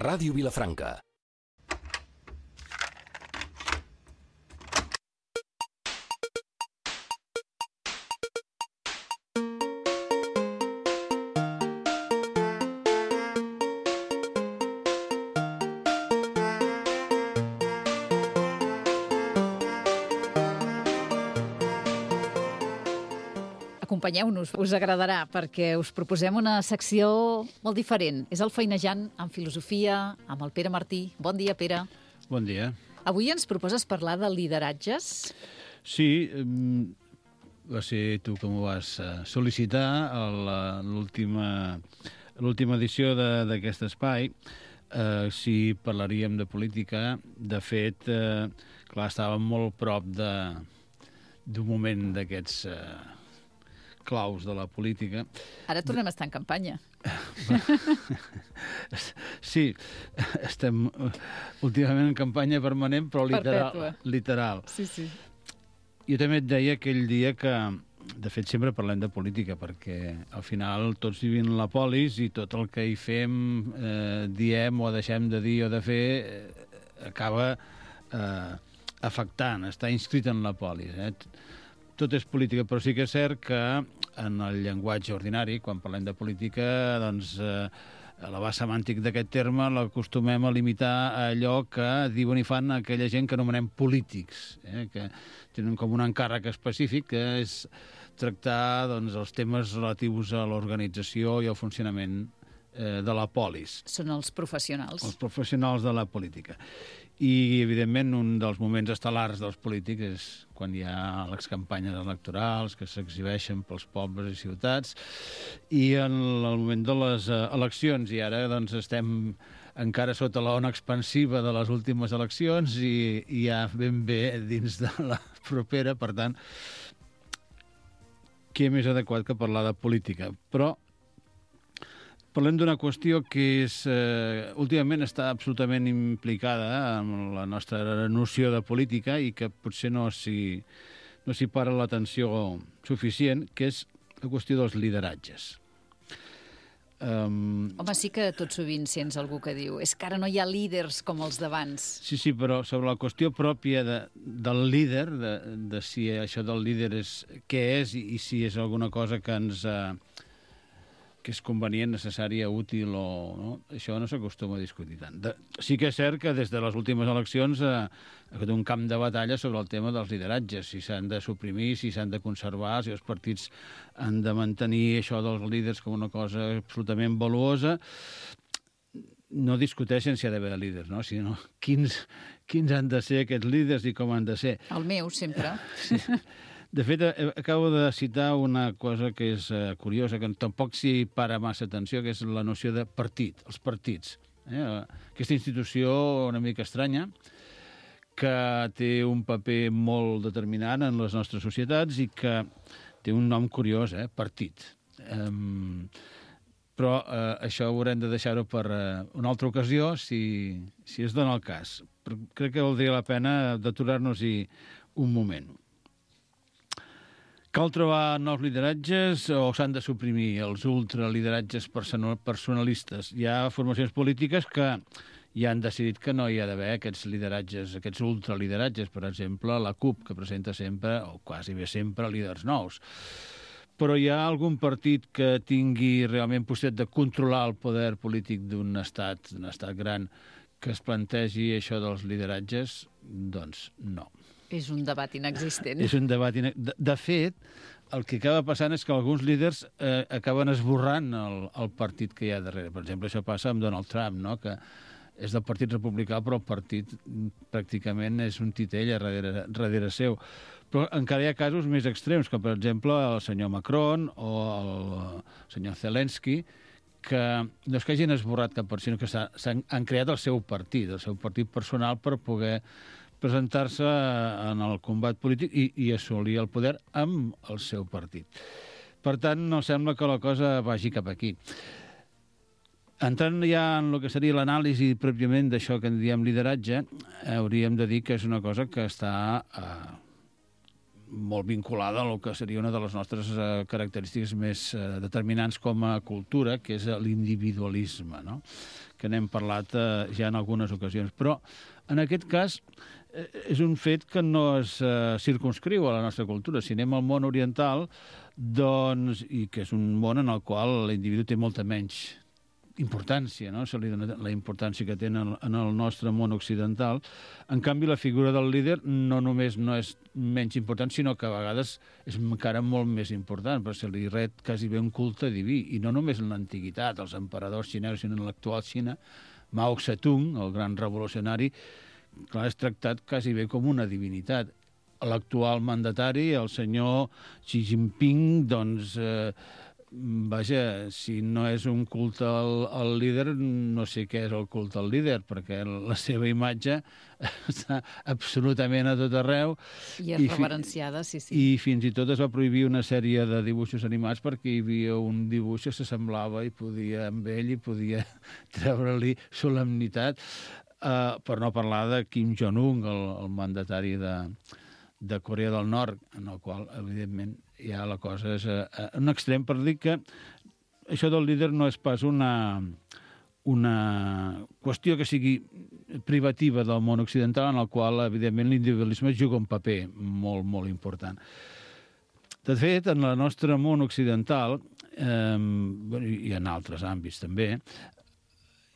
Ràdio Vilafranca. Acompanyeu-nos, us agradarà, perquè us proposem una secció molt diferent. És el Feinejant amb filosofia, amb el Pere Martí. Bon dia, Pere. Bon dia. Avui ens proposes parlar de lideratges. Sí, va ser tu que m'ho vas sol·licitar a l'última edició d'aquest espai. Si parlaríem de política, de fet, clar, estàvem molt prop d'un moment d'aquests claus de la política. Ara tornem a estar en campanya. Sí, estem últimament en campanya permanent, però literal. Sí, sí. Jo també et deia aquell dia que, de fet, sempre parlem de política, perquè al final tots vivim la polis i tot el que hi fem, diem o deixem de dir o de fer, acaba afectant, està inscrit en la polis, Tot és política, però sí que és cert que en el llenguatge ordinari, quan parlem de política, doncs l'abast semàntic d'aquest terme l'acostumem a limitar a allò que diuen i fan aquella gent que anomenem polítics, que tenen com un encàrrec específic, que és tractar els temes relatius a l'organització i al funcionament de la polis. Són els professionals. Els professionals de la política. I, evidentment, un dels moments estel·lars dels polítics és quan hi ha les campanyes electorals que s'exhibeixen pels pobles i ciutats i en el moment de les eleccions. I ara estem encara sota l'ona expansiva de les últimes eleccions i ja ben bé dins de la propera. Per tant, què més adequat que parlar de política? Però parlem d'una qüestió que últimament està absolutament implicada en la nostra noció de política i que potser no s'hi para l'atenció suficient, que és la qüestió dels lideratges. Home, sí que tot sovint sents algú que diu és que ara no hi ha líders com els d'abans. Sí, però sobre la qüestió pròpia del líder, de si això del líder és què és i si és alguna cosa que és convenient, necessària, útil o no, això no s'acostuma a discutir tant. Sí que és cert que des de les últimes eleccions ha hagut un camp de batalla sobre el tema dels lideratges, si s'han de suprimir, si s'han de conservar, si els partits han de mantenir això dels líders com una cosa absolutament valuosa. No discuteixen si hi ha d'haver líders, no? Sinó quins han de ser aquests líders i com han de ser. El meu, sempre. Sí. De fet, acabo de citar una cosa que és curiosa, que tampoc s'hi para massa atenció, que és la noció de partit, els partits. Aquesta institució una mica estranya, que té un paper molt determinant en les nostres societats i que té un nom curiós, partit. Però això haurem de deixar-ho per una altra ocasió, si es dona el cas. Però crec que valdria la pena d'aturar-nos-hi un moment. Cal trobar nous lideratges o s'han de suprimir els ultralideratges personalistes? Hi ha formacions polítiques que ja han decidit que no hi ha d'haver aquests lideratges, aquests ultralideratges. Per exemple, la CUP, que presenta sempre, o quasi bé sempre, líders nous. Però hi ha algun partit que tingui realment possibilitat de controlar el poder polític d'un estat gran, que es plantegi això dels lideratges? Doncs no. És un debat inexistent. És un debat De fet, el que acaba passant és que alguns líders acaben esborrant el partit que hi ha darrere. Per exemple, això passa amb Donald Trump, no? Que és del Partit Republicà, però el partit pràcticament és un titell darrere seu. Però encara hi ha casos més extrems, com per exemple el senyor Macron o el senyor Zelensky, que no és que hagin esborrat cap partit, sinó que han creat el seu partit personal per poder presentar-se en el combat polític i assolir el poder amb el seu partit. Per tant, no sembla que la cosa vagi cap aquí. Entrant ja en el que seria l'anàlisi pròpiament d'això que en diem lideratge, hauríem de dir que és una cosa que està molt vinculada al que seria una de les nostres característiques més determinants com a cultura, que és l'individualisme, no? Que n'hem parlat ja en algunes ocasions. Però, en aquest cas, és un fet que no es circumscriu a la nostra cultura. Si anem al món oriental, doncs, i que és un món en el qual l'individu té molta menys importància, no? Se li dona la importància que té en el nostre món occidental. En canvi, la figura del líder no només no és menys important, sinó que a vegades és encara molt més important, perquè se li ret quasi bé un culte diví, i no només en l'antiguitat, els emperadors xinesos, sinó en l'actual Xina. Mao Zedong, el gran revolucionari, clar, és tractat quasi bé com una divinitat. L'actual mandatari, el senyor Xi Jinping, doncs, vaja, si no és un culte al líder, no sé què és el culte al líder, perquè la seva imatge està absolutament a tot arreu. I és reverenciada, sí. I fins i tot es va prohibir una sèrie de dibuixos animats perquè hi havia un dibuix que s'assemblava i podia, amb ell, i podia treure-li solemnitat, per no parlar de Kim Jong-un, el mandatari de Corea del Nord, en el qual, evidentment, ja la cosa és un extrem, per dir que això del líder no és pas una qüestió que sigui privativa del món occidental, en el qual, evidentment, l'individualisme juga un paper molt, molt important. De fet, en el nostre món occidental, i en altres àmbits també,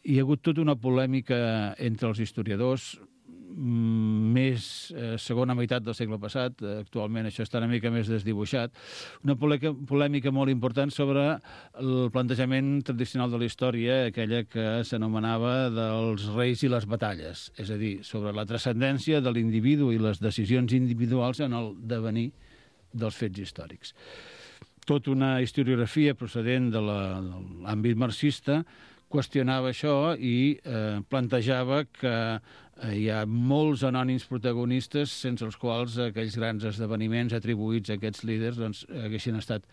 hi ha hagut tota una polèmica entre els historiadors, més segona meitat del segle passat, actualment això està una mica més desdibuixat, una polèmica molt important sobre el plantejament tradicional de la història, aquella que s'anomenava dels reis i les batalles, és a dir, sobre la transcendència de l'individu i les decisions individuals en el devenir dels fets històrics. Tota una historiografia procedent de l'àmbit marxista qüestionava això i plantejava que hi ha molts anònims protagonistes sense els quals aquells grans esdeveniments atribuïts a aquests líders doncs, haguessin estat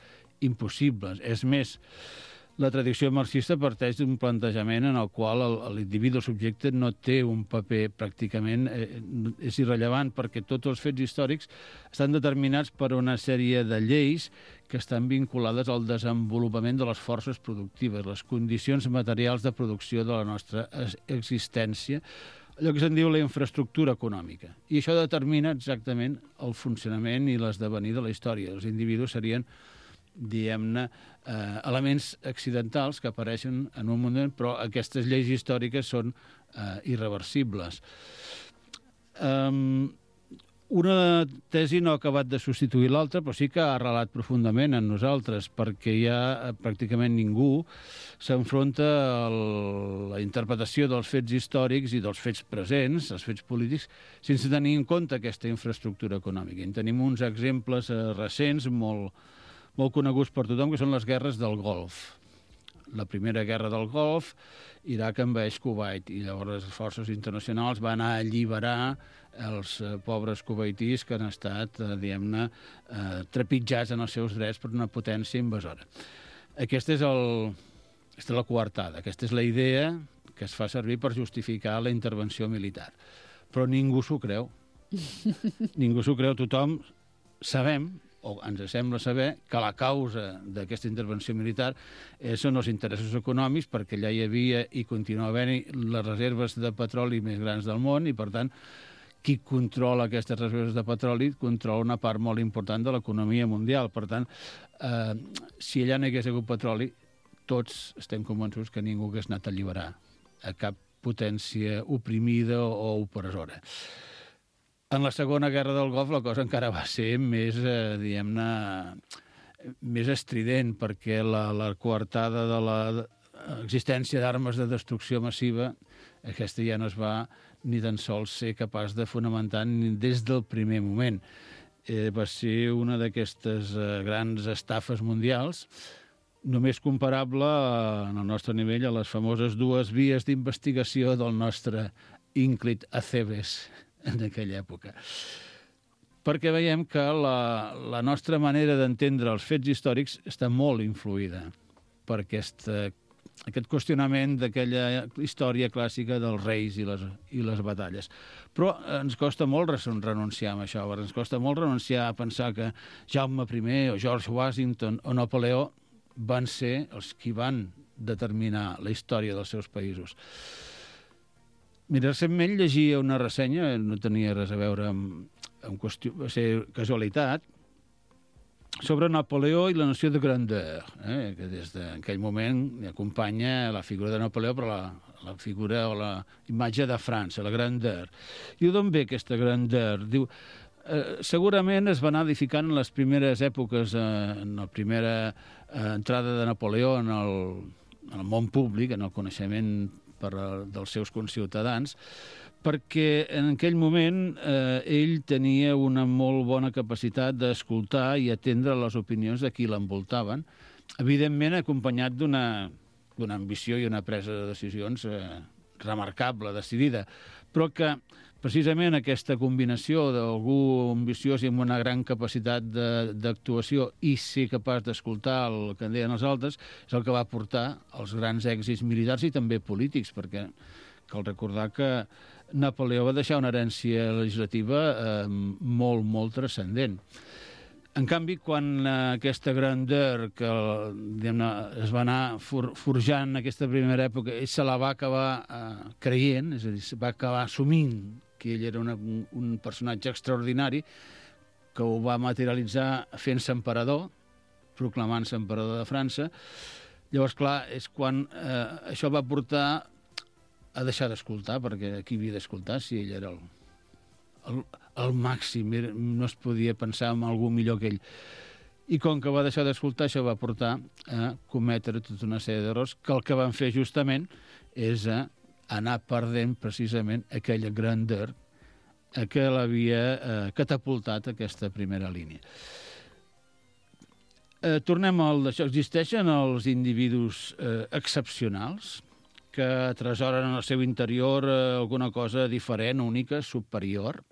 impossibles. És més, la tradició marxista parteix d'un plantejament en el qual l'individu, el subjecte, no té un paper pràcticament, és irrellevant, perquè tots els fets històrics estan determinats per una sèrie de lleis que estan vinculades al desenvolupament de les forces productives, les condicions materials de producció de la nostra existència, allò que se'n diu la infraestructura econòmica. I això determina exactament el funcionament i l'esdevenir de la història. Els individus serien, diguem-ne, elements accidentals que apareixen en un moment, però aquestes lleis històriques són irreversibles. Una tesi no ha acabat de substituir l'altra, però sí que ha arrelat profundament en nosaltres, perquè ja pràcticament ningú s'enfronta a la interpretació dels fets històrics i dels fets presents, els fets polítics, sense tenir en compte aquesta infraestructura econòmica. En tenim uns exemples recents, molt coneguts per tothom, que són les guerres del Golf. La primera guerra del Golf, Iraq envaeix Kuwait, i llavors les forces internacionals van a alliberar els pobres kuwaitís que han estat, diguem-ne, trepitjats en els seus drets per una potència invasora. Aquesta és la coartada, aquesta és la idea que es fa servir per justificar la intervenció militar. Però ningú s'ho creu. Ningú s'ho creu. Tothom sabem, o ens sembla saber, que la causa d'aquesta intervenció militar són els interessos econòmics, perquè allà hi havia i continua havent-hi les reserves de petroli més grans del món, i per tant qui controla aquestes reserves de petroli controla una part molt important de l'economia mundial. Per tant, si allà no hi hagués hagut petroli, tots estem convençuts que ningú hagués anat a alliberar a cap potència oprimida o opressora. En la Segona Guerra del Golf la cosa encara va ser més, diguem-ne, més estrident, perquè la coartada de l'existència d'armes de destrucció massiva, aquesta ja no es va ni tan sols ser capaç de fonamentar des del primer moment. Va ser una d'aquestes grans estafes mundials, només comparable en el nostre nivell a les famoses dues vies d'investigació del nostre ínclit Acebes en aquella època. Perquè veiem que la nostra manera d'entendre els fets històrics està molt influïda per aquesta aquest qüestionament d'aquella història clàssica dels reis i les batalles. Però ens costa molt renunciar a això, ens costa molt renunciar a pensar que Jaume I o George Washington o Napoleó van ser els qui van determinar la història dels seus països. Mira, recentment llegia una ressenya, no tenia res a veure amb qüestió, va ser casualitat, sobre Napoleó i la noció de grandeur, que des d'aquell moment acompanya la figura de Napoleó, però la figura o la imatge de França, la grandeur. Diu, d'on ve aquesta grandeur? Diu, segurament es va anar edificant en les primeres èpoques, en la primera entrada de Napoleó en el món públic, en el coneixement dels seus conciutadans, perquè en aquell moment ell tenia una molt bona capacitat d'escoltar i atendre les opinions de qui l'envoltaven, evidentment acompanyat d'una ambició i una presa de decisions remarcable, decidida, però que precisament aquesta combinació d'algú ambiciós i amb una gran capacitat d'actuació i ser capaç d'escoltar el que en deien els altres és el que va portar als grans èxits militars i també polítics, perquè cal recordar que Napoleó va deixar una herència legislativa molt, molt transcendent. En canvi, quan aquesta grandeur que es va anar forjant en aquesta primera època, ell se la va acabar creient, és a dir, va acabar assumint que ell era un personatge extraordinari, que ho va materialitzar fent-se emperador, proclamant-se emperador de França. Llavors, clar, és quan això va portar a deixar d'escoltar, perquè qui havia d'escoltar si ell era el màxim, no es podia pensar en algú millor que ell. I com que va deixar d'escoltar, això va portar a cometre tota una sèrie d'errors que el que van fer justament és anar perdent precisament aquella grandeur que l'havia catapultat aquesta primera línia. Tornem al d'això. Existeixen els individus excepcionals que atresoren en el seu interior alguna cosa diferent, única, superior.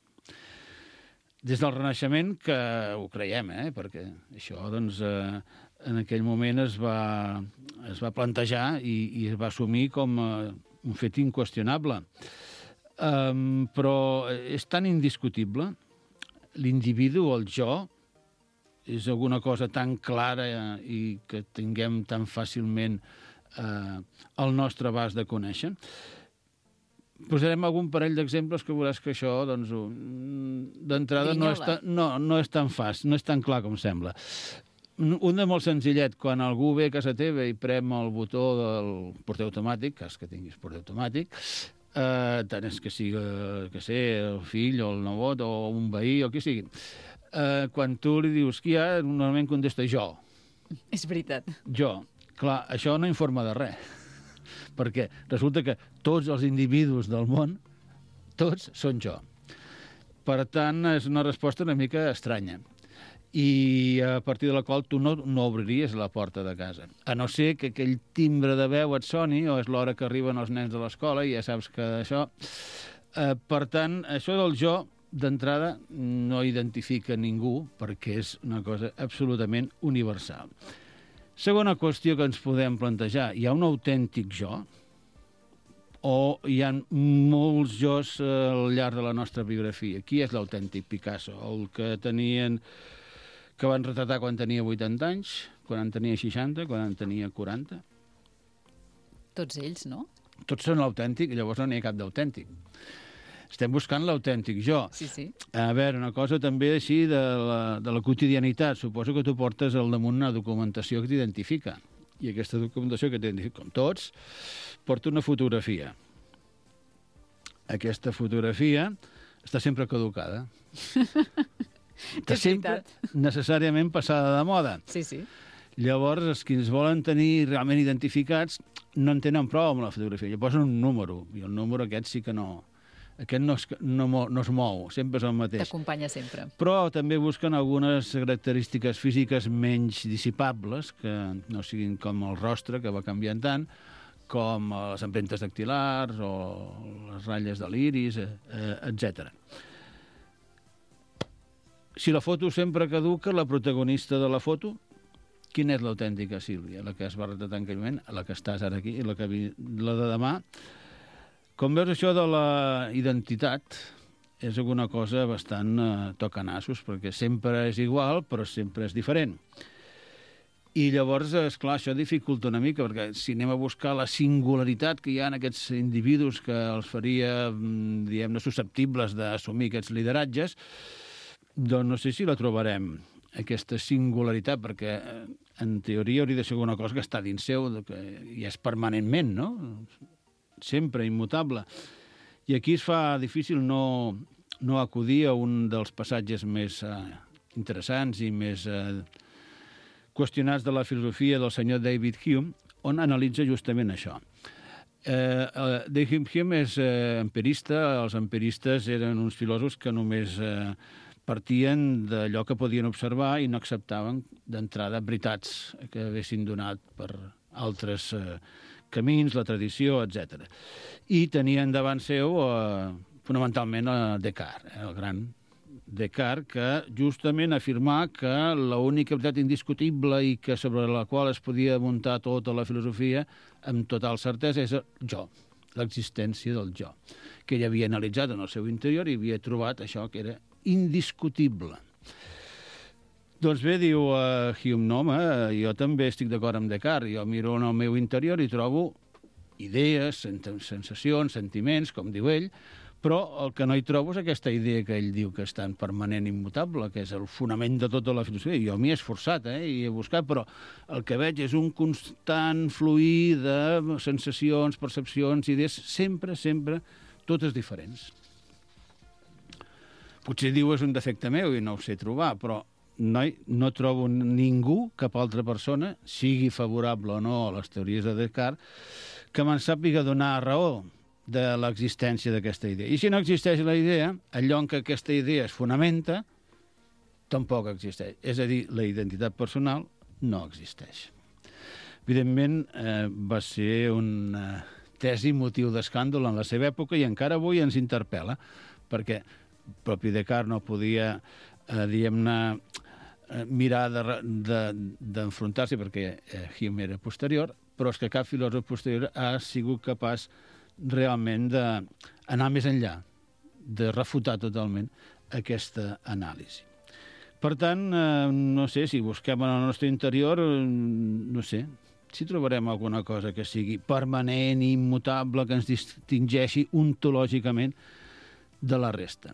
Des del Renaixement, que ho creiem, perquè això doncs, en aquell moment es va plantejar i es va assumir com un fet inqüestionable. Però és tan indiscutible, l'individu, el jo, és alguna cosa tan clara i que tinguem tan fàcilment el nostre abast de conèixer. Posarem algun parell d'exemples que veuràs que això, doncs, d'entrada no és tan fàcil, no és tan clar com sembla. Un de molt senzillet, quan algú ve a casa teva i prem el botó del porter automàtic, cas que tinguis porter automàtic, tant és que sigui el fill o el nebot o un veí o qui sigui, quan tu li dius qui hi ha, normalment contesta jo. És veritat. Jo. Clar, això no informa de res, perquè resulta que tots els individus del món, tots són jo. Per tant, és una resposta una mica estranya i a partir de la qual tu no obriries la porta de casa. A no ser que aquell timbre de veu et soni o és l'hora que arriben els nens de l'escola i ja saps que això... Per tant, això del jo, d'entrada, no identifica ningú perquè és una cosa absolutament universal. Segona qüestió que ens podem plantejar, hi ha un autèntic jo o hi ha molts jos al llarg de la nostra biografia? Qui és l'autèntic Picasso? El que van retratar quan tenia 80 anys, quan en tenia 60, quan en tenia 40? Tots ells, no? Tots són l'autèntic, llavors no n'hi ha cap d'autèntic. Estem buscant l'autèntic jo. Sí. A veure, una cosa també així de la quotidianitat. Suposo que tu portes al damunt una documentació que t'identifica. I aquesta documentació que t'identifica, com tots, porta una fotografia. Aquesta fotografia està sempre caducada. Està sempre necessàriament passada de moda. Sí. Llavors, els que ens volen tenir realment identificats no en tenen prou amb la fotografia. Llavors posen un número, i el número aquest sí que no... Aquest no es mou, sempre és el mateix. T'acompanya sempre. Però també busquen algunes característiques físiques menys dissipables, que no siguin com el rostre, que va canviant tant, com les empremtes dactilars o les ratlles de l'iris, etc. Si la foto sempre caduca, la protagonista de la foto quina és l'autèntica Sílvia? La que es va retratar en aquell moment, la que estàs ara aquí, i la de demà. Com veus, això de la identitat és alguna cosa bastant tocanassos, perquè sempre és igual, però sempre és diferent. I llavors, esclar, això dificulta una mica, perquè si anem a buscar la singularitat que hi ha en aquests individus que els faria, diguem-ne, susceptibles d'assumir aquests lideratges, doncs no sé si la trobarem, aquesta singularitat, perquè en teoria hauria de ser alguna cosa que està dins seu, que ja és permanentment, no? Sempre immutable. I aquí es fa difícil no acudir a un dels passatges més interessants i més qüestionats de la filosofia del senyor David Hume, on analitza justament això. David Hume és empirista. Els empiristes eren uns filòsofs que només partien d'allò que podien observar i no acceptaven d'entrada veritats que haguessin donat per altres camins, la tradició, etc. I tenien davant seu fonamentalment Descartes, el gran Descartes, que justament afirmà que l'única veritat indiscutible i que sobre la qual es podia muntar tota la filosofia amb total certesa és el jo, l'existència del jo, que ell havia analitzat en el seu interior i havia trobat això que era indiscutible. Doncs bé, diu Hume, no, home, jo també estic d'acord amb Descartes, jo miro en el meu interior i trobo idees, sensacions, sentiments, com diu ell, però el que no hi trobo és aquesta idea que ell diu que és tan permanent i immutable, que és el fonament de tota la filosofia. Jo m'hi he esforçat i he buscat, però el que veig és un constant fluir de sensacions, percepcions, idees, sempre, totes diferents. Potser diu és un defecte meu i no ho sé trobar, però no trobo ningú, cap altra persona, sigui favorable o no a les teories de Descartes, que me'n sàpiga donar raó de l'existència d'aquesta idea. I si no existeix la idea, allò en què aquesta idea es fonamenta, tampoc existeix. És a dir, la identitat personal no existeix. Evidentment, va ser una tesi motiu d'escàndol en la seva època i encara avui ens interpel·la, perquè el propi Descartes no podia, diguem-ne, mirar d'enfrontar-s'hi, perquè Hume era posterior, però és que cap filòsof posterior ha sigut capaç realment d'anar més enllà, de refutar totalment aquesta anàlisi. Per tant, no sé, si busquem en el nostre interior, no sé, si trobarem alguna cosa que sigui permanent i immutable, que ens distingeixi ontològicament de la resta.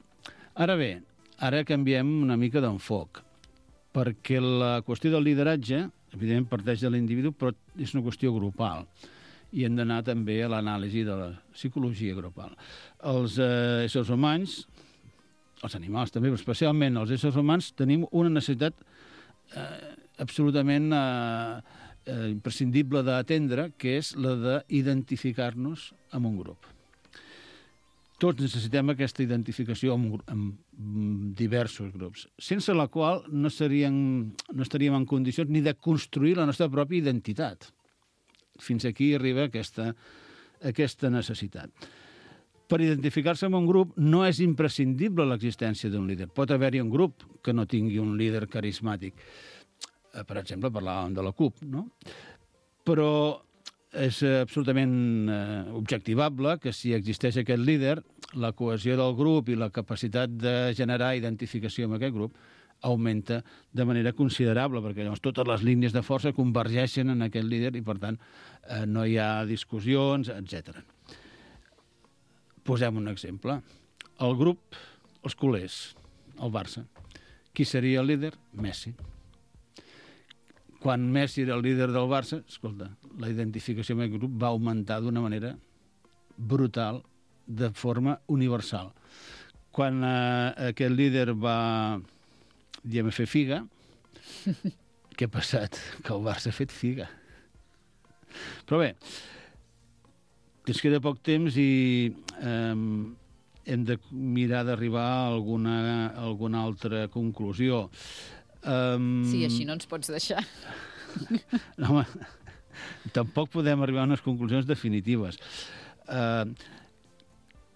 Ara bé, ara canviem una mica d'enfoc, perquè la qüestió del lideratge, evidentment, parteix de l'individu, però és una qüestió grupal. I hem d'anar també a l'anàlisi de la psicologia grupal. Els éssers humans, els animals també, però especialment els éssers humans, tenim una necessitat absolutament imprescindible d'atendre, que és la d'identificar-nos amb un grup. Tots necessitem aquesta identificació amb diversos grups, sense la qual no estaríem en condicions ni de construir la nostra pròpia identitat. Fins aquí arriba aquesta necessitat. Per identificar-se amb un grup no és imprescindible l'existència d'un líder. Pot haver-hi un grup que no tingui un líder carismàtic. Per exemple, parlàvem de la CUP, no? Però és absolutament objectivable que si existeix aquest líder, la cohesió del grup i la capacitat de generar identificació amb aquest grup augmenta de manera considerable, perquè llavors totes les línies de força convergeixen en aquest líder i, per tant, no hi ha discussions, etc. Posem un exemple. El grup, els culers, el Barça. Qui seria el líder? Messi. Quan Messi era el líder del Barça, escolta, la identificació amb el grup va augmentar d'una manera brutal, de forma universal. Quan aquest líder va, diguem, fer figa, què ha passat? Que el Barça ha fet figa. Però bé, ens queda poc temps i hem de mirar d'arribar a alguna altra conclusió. Sí, així no ens pots deixar. No, home, tampoc podem arribar a unes conclusions definitives.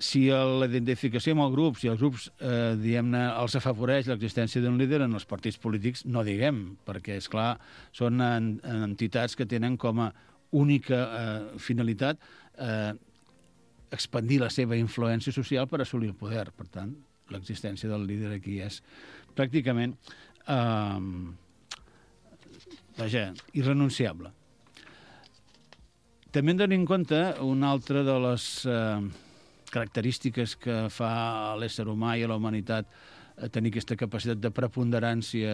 si la identificació amb el grup, si els grups, diguem-ne, els afavoreix l'existència d'un líder en els partits polítics, no diguem, perquè, és clar, són entitats que tenen com a única finalitat expandir la seva influència social per assolir el poder. Per tant, l'existència del líder aquí és pràcticament irrenunciable. També hem de tenir en compte una altra de les característiques que fa a l'ésser humà i a la humanitat tenir aquesta capacitat de preponderància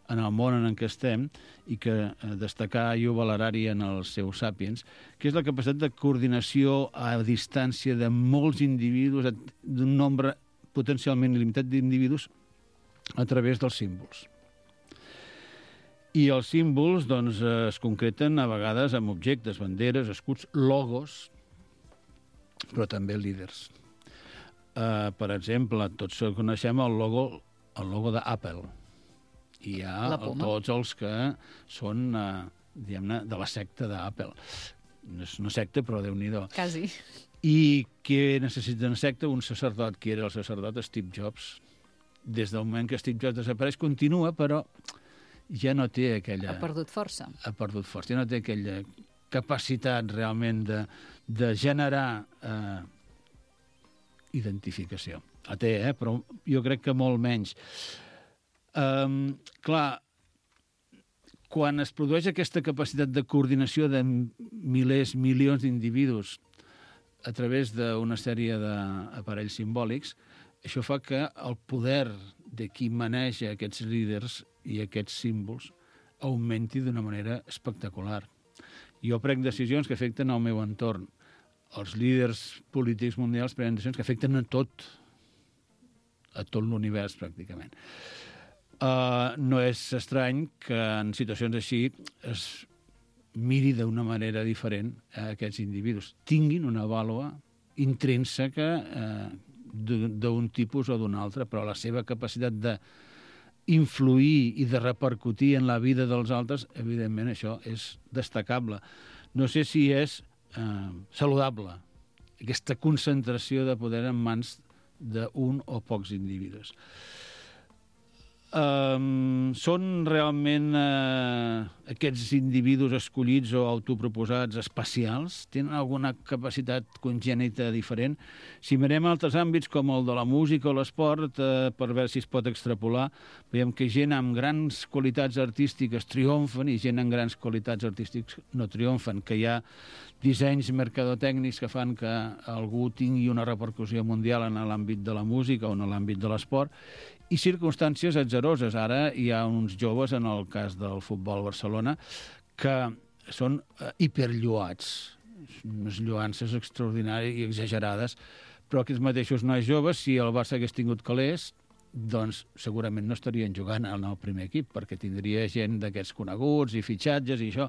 en el món en què estem i que destacar i valorar-hi en els seus Sapiens, que és la capacitat de coordinació a distància de molts individus, d'un nombre potencialment il·limitat d'individus, a través dels símbols. I els símbols doncs, es concreten a vegades amb objectes, banderes, escuts, logos, però també líders. Per exemple, tots coneixem el logo d'Apple. I hi ha tots els que són, diguem-ne, de la secta d'Apple. No és una secta, però Déu-n'hi-do. Quasi. I què necessita una secta? Un sacerdot. Qui era el sacerdot? Steve Jobs. Des del moment que Steve Jobs desapareix, continua, però ja no té aquella... Ha perdut força. Ha perdut força. Ja no té aquella capacitat realment de generar identificació. La té, però jo crec que molt menys. Clar, quan es produeix aquesta capacitat de coordinació de milers, milions d'individus a través d'una sèrie d'aparells simbòlics, això fa que el poder de qui maneja aquests líders i aquests símbols augmenti d'una manera espectacular. Jo prenc decisions que afecten el meu entorn. Els líders polítics mundials prenen decisions que afecten a tot l'univers, pràcticament. No és estrany que en situacions així es miri d'una manera diferent a aquests individus. Tinguin una vàlua intrínseca d'un tipus o d'un altre, però la seva capacitat d'influir i de repercutir en la vida dels altres, evidentment això és destacable. No sé si és saludable, aquesta concentració de poder en mans d'un o pocs individus. Són realment aquests individus escollits o autoproposats especials? Tenen alguna capacitat congènita diferent? Si mirem altres àmbits com el de la música o l'esport, per veure si es pot extrapolar, veiem que gent amb grans qualitats artístiques triomfen i gent amb grans qualitats artístiques no triomfen, que hi ha dissenys mercadotècnics que fan que algú tingui una repercussió mundial en l'àmbit de la música o en l'àmbit de l'esport, i circumstàncies atzaroses. Ara hi ha uns joves, en el cas del Futbol Barcelona, que són hiperlluats, unes lluances extraordinàries i exagerades, però aquests mateixos nois joves, si el Barça hagués tingut calés, doncs segurament no estarien jugant en el primer equip, perquè tindria gent d'aquests coneguts i fitxatges i això.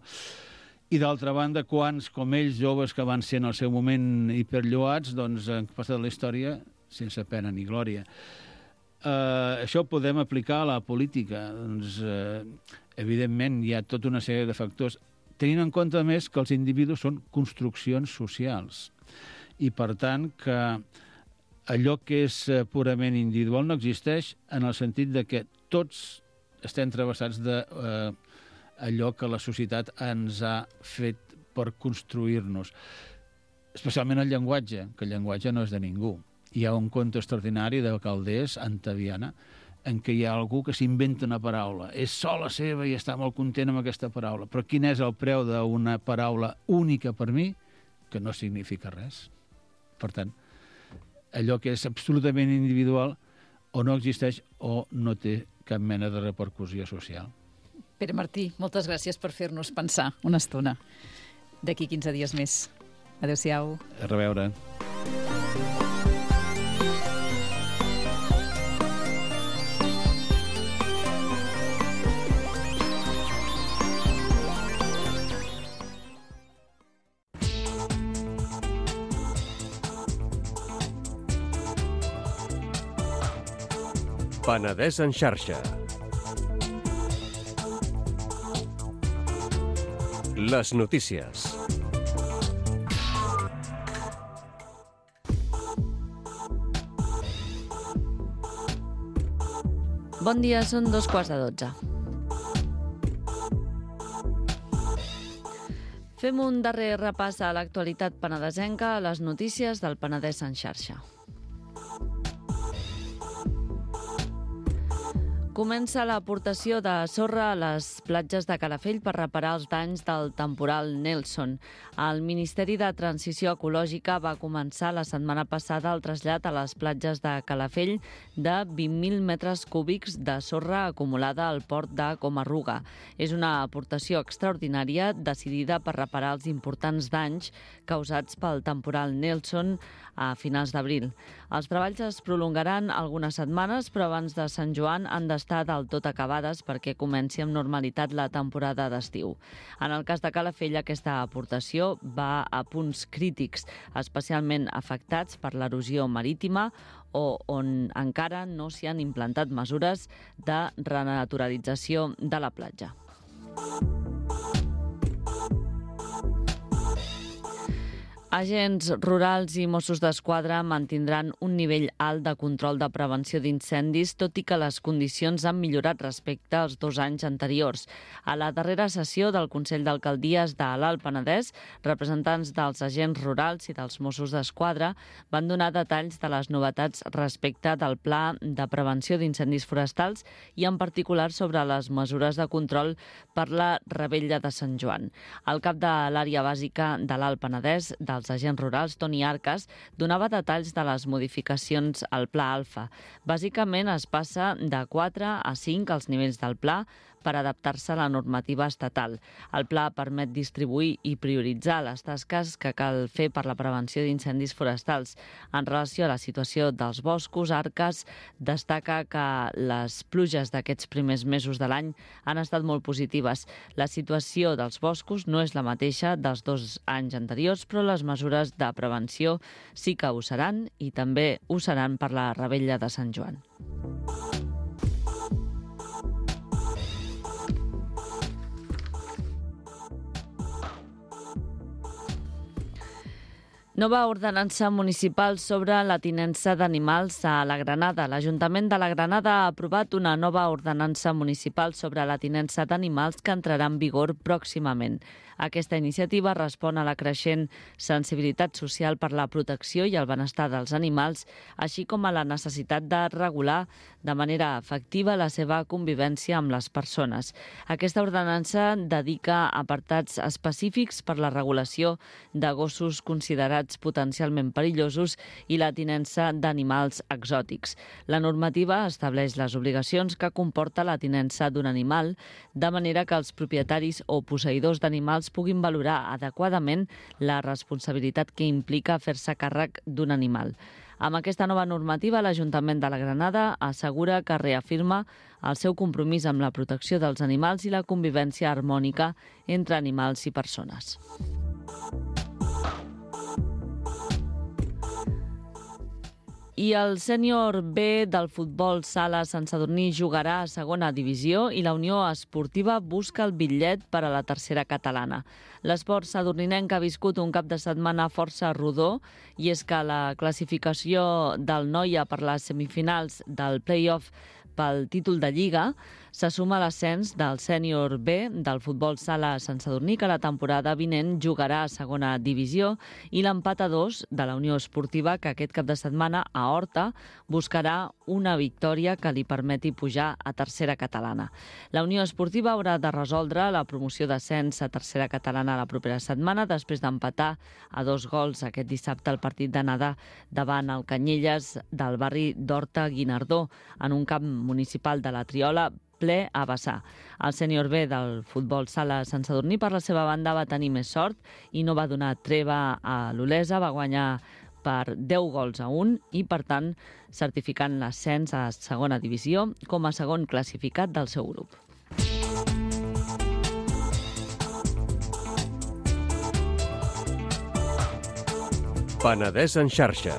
I d'altra banda, quants com ells, joves que van ser en el seu moment hiperlluats, doncs han passat la història sense pena ni glòria. Això ho podem aplicar a la política. Doncs, evidentment, hi ha tota una sèrie de factors, tenint en compte, a més, que els individus són construccions socials. I, per tant, que allò que és purament individual no existeix en el sentit de que tots estem travessats d'allò que la societat ens ha fet per construir-nos. Especialment el llenguatge, que el llenguatge no és de ningú. Hi ha un conte extraordinari de Calders, Antaviana, en què hi ha algú que s'inventa una paraula. És sola seva i està molt content amb aquesta paraula. Però quin és el preu d'una paraula única per mi? Que no significa res. Per tant, allò que és absolutament individual o no existeix o no té cap mena de repercussió social. Pere Martí, moltes gràcies per fer-nos pensar una estona. D'aquí 15 dies més. Adéu-siau. A reveure. Penedès en xarxa. Les notícies. Bon dia, són 2:15. Fem un darrer repàs a l'actualitat penedesenca, a les notícies del Penedès en xarxa. Comença l'aportació de sorra a les platges de Calafell per reparar els danys del temporal Nelson. El Ministeri de Transició Ecològica va començar la setmana passada el trasllat a les platges de Calafell de 20.000 metres cúbics de sorra acumulada al port de Comarruga. És una aportació extraordinària decidida per reparar els importants danys causats pel temporal Nelson a finals d'abril. Els treballs es prolongaran algunes setmanes, però abans de Sant Joan han d'estar del tot acabades perquè comenci amb normalitat la temporada d'estiu. En el cas de Calafell, aquesta aportació va a punts crítics, especialment afectats per l'erosió marítima o on encara no s'hi han implantat mesures de renaturalització de la platja. Agents rurals i Mossos d'Esquadra mantindran un nivell alt de control de prevenció d'incendis, tot i que les condicions han millorat respecte als 2 anys anteriors. A la darrera sessió del Consell d'Alcaldies de l'Alt Penedès, representants dels agents rurals i dels Mossos d'Esquadra van donar detalls de les novetats respecte del Pla de Prevenció d'Incendis Forestals i en particular sobre les mesures de control per la Revetlla de Sant Joan. El cap de l'àrea bàsica de l'Alt Penedès, dels agents rurals, Toni Arcas, donava detalls de les modificacions al Pla Alfa. Bàsicament es passa de 4 a 5 als nivells del pla per adaptar-se a la normativa estatal. El pla permet distribuir i prioritzar les tasques que cal fer per la prevenció d'incendis forestals. En relació a la situació dels boscos, Arcas destaca que les pluges d'aquests primers mesos de l'any han estat molt positives. La situació dels boscos no és la mateixa dels 2 anys anteriors, però les mesures de prevenció sí que ho seran i també ho seran per la Revetlla de Sant Joan. Nova ordenança municipal sobre la tinença d'animals a la Granada. L'Ajuntament de la Granada ha aprovat una nova ordenança municipal sobre la tinença d'animals que entrarà en vigor pròximament. Aquesta iniciativa respon a la creixent sensibilitat social per la protecció i el benestar dels animals, així com a la necessitat de regular de manera efectiva la seva convivència amb les persones. Aquesta ordenança dedica apartats específics per la regulació de gossos considerats potencialment perillosos i la tinença d'animals exòtics. La normativa estableix les obligacions que comporta la tinença d'un animal, de manera que els propietaris o posseïdors d'animals puguin valorar adequadament la responsabilitat que implica fer-se càrrec d'un animal. Amb aquesta nova normativa, l'Ajuntament de la Granada assegura que reafirma el seu compromís amb la protecció dels animals i la convivència harmònica entre animals i persones. I el sènior B del futbol sala Sant Sadurní jugarà a segona divisió i la Unió Esportiva busca el bitllet per a la tercera catalana. L'esport sadurninenc ha viscut un cap de setmana força rodó i és que la classificació del Noia per les semifinals del play-off pel títol de Lliga se suma a l'ascens del sènior B del futbol sala Sant Sadurní, que la temporada vinent jugarà a segona divisió, i l'empat a 2 de la Unió Esportiva, que aquest cap de setmana a Horta buscarà una victòria que li permeti pujar a tercera catalana. La Unió Esportiva haurà de resoldre la promoció d'ascens a tercera catalana la propera setmana, després d'empatar a 2 gols aquest dissabte al partit d'anada davant el Canyelles del barri d'Horta-Guinardó, en un camp municipal de la Triola ple a vessar. El sènior B del futbol sala Sant Sadurní, per la seva banda, va tenir més sort i no va donar treva a l'Olesa, va guanyar per 10 gols a 1 i, per tant, certificant l'ascens a segona divisió com a segon classificat del seu grup. Penedès en xarxa.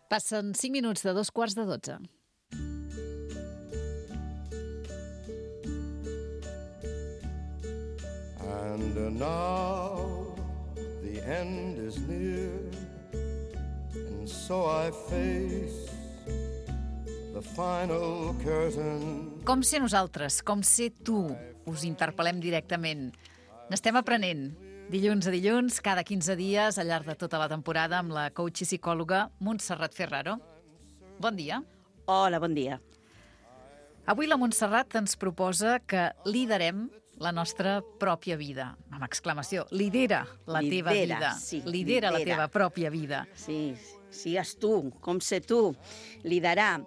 Passen 5 minuts de 2:15. And now the end is near, and so I face the final curtain. Com ser nosaltres, com ser tu, us interpel·lem directament. N'estem aprenent. Dilluns a dilluns, cada 15 dies, al llarg de tota la temporada, amb la coach i psicòloga Montserrat Ferraro. Bon dia. Hola, bon dia. Avui la Montserrat ens proposa que liderem la nostra pròpia vida. Amb exclamació, lidera la teva vida. Sí, lidera la teva pròpia vida. Sí, sigues tu, com ser tu. Liderar